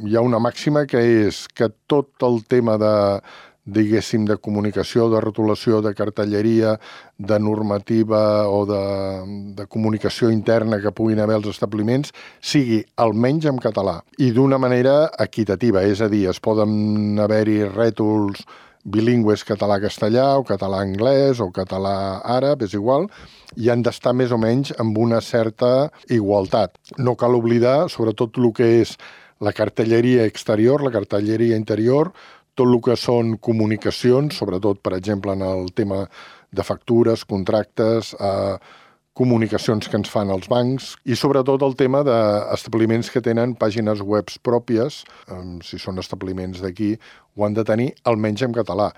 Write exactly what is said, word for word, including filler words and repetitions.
hi ha una màxima que és que tot el tema de, diguéssim, de comunicació, de rotulació, de cartelleria, de normativa o de, de comunicació interna que puguin haver als establiments, sigui almenys en català i d'una manera equitativa, és a dir, es poden haver-hi rètols bilingües català-castellà o català-anglès o català-àrab, és igual, i han d'estar més o menys amb una certa igualtat. No cal oblidar, sobretot el que és la cartelleria exterior, la cartelleria interior, tot el que són comunicacions, sobretot, per exemple, en el tema de factures, contractes, eh, comunicacions que ens fan els bancs i sobretot el tema d'establiments que tenen pàgines web pròpies, eh, si són establiments d'aquí, ho han de tenir almenys en català.